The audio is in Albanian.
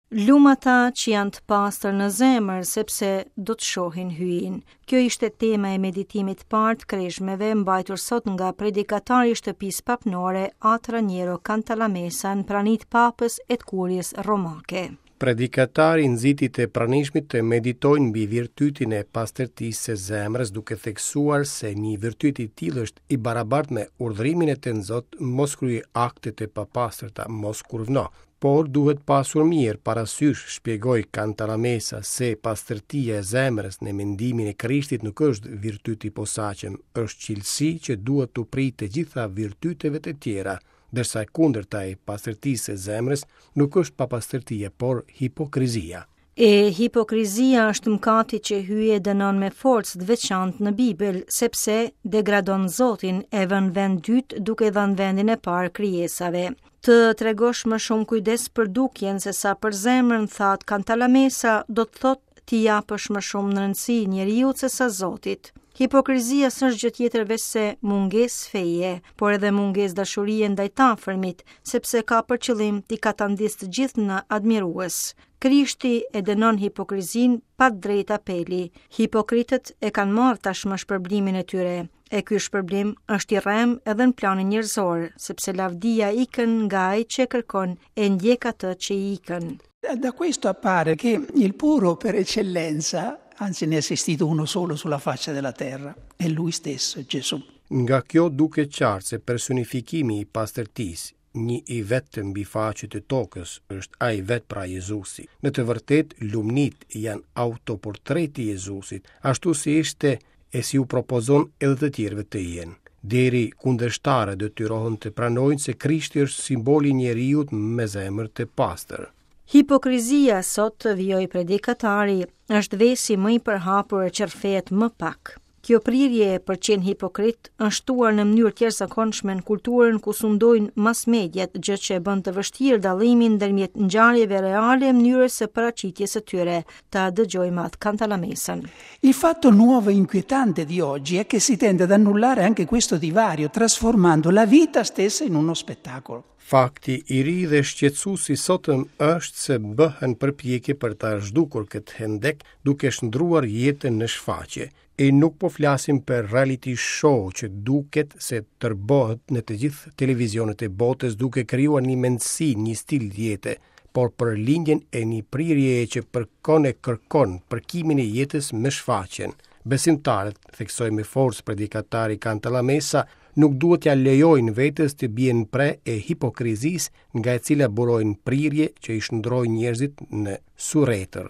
Lum ata që janë të pastër në zemër, sepse do të shohin Hyjin. Kjo ishte tema e meditimit të parë të kreshmeve mbajtur sot nga predikatari i shtëpisë papnore At Raniero Cantalamessa në prani të papës e të kuries romake. Predikatari nxiti të pranishmit të meditojnë mbi virtytin e pastërtisë së zemrës duke theksuar se një virtyt i tillë është i barabartë me urdhërimin e Tënzot mos kryej akte të papastërta, mos kurvno. Por duhet pasur mirë parasysh, shpjegoi Cantalamessa, se pastërtia e zemrës në mendimin e Krishtit nuk është virtyt i posaçëm, është cilësi që duhet t'u prijë të gjitha virtyteve të tjera, ndërsa e kundërta e pastërtisë së zemrës nuk është papastërtia, por hipokrizia. E hipokrizia është mëkati që Hyji e dënon me forcë të veçantë në Bibël, sepse degradon Zotin e vë në vend dytë duke dhënë vendin e parë krijesave. Të tregosh më shumë kujdes për dukjen se sa për zemrën, tha Cantalamessa, do të thotë t'i japësh më shumë rëndësi njeriut se sa Zotit. Hipokrizia s'është gjë tjetër veçse mungesë feje, por edhe mungesë dashurie ndaj të afërmit, sepse ka për qëllim t'i katandisë të gjithë në admirues. Krishti e dënon hipokrizinë pa drejt apeli. Hipokritët e kanë marrë tashmë shpërblimin e tyre. E ky shpërblim është i rremë edhe në planin njerëzor, sepse lavdia ikën nga ai që e kërkon e ndjek atë që i ikën. Da questo appare che il puro per eccellenza, anzi ne è esistito uno solo sulla faccia della terra, è lui stesso, Gesù. Nga kjo duket qartë se personifikimi i pastërtisë, një i vetëm mbi faqe të tokës, është ai vetë pra Jezusi. Në të vërtetë, lumnitë janë autoportreti i Jezusit, ashtu si ishte e si u propozon edhe të tjerëve të jenë. Deri kundërshtarët detyrohen të pranojnë se Krishti është simboli i njeriut me zemër të pastër. Hipokrizia sot, vijoi predikatari, është vesi më i përhapur e që rrëfehet më pak. Kjo prirje për të qenë hipokrit është shtuar në mënyrë të jashtëzakonshme në kulturën ku sundojnë mass mediat, gjë që e bën të vështirë dallimin ndërmjet ngjarjeve reale e mënyrës së paraqitjes së tyre. Ta dëgjojmë At Cantalamessën. Il fatto nuovo e inquietante di oggi è che si tende ad annullare anche questo divario, trasformando la vita stessa in uno spettacolo. Fakti i ri dhe shqetësues i sotëm është se bëhen përpjekje për ta zhdukur këtë hendek duke shndërruar jetën në shfaqje. E nuk po flasim për reality show që duket se tërbohet në të gjithë televizionet e botës duke krijuar një mendësi, një stil jete, por për lindjen e një prirjeje që përkon e kërkon përkimin e jetës me shfaqjen. Besimtarët, theksoi me forcë predikatari Cantalamessa, nuk duhet t'ia lejojnë vetes të bien pre e hipokrizisë nga e cila burojnë prirje që i shndërrojnë njerëzit në suretër.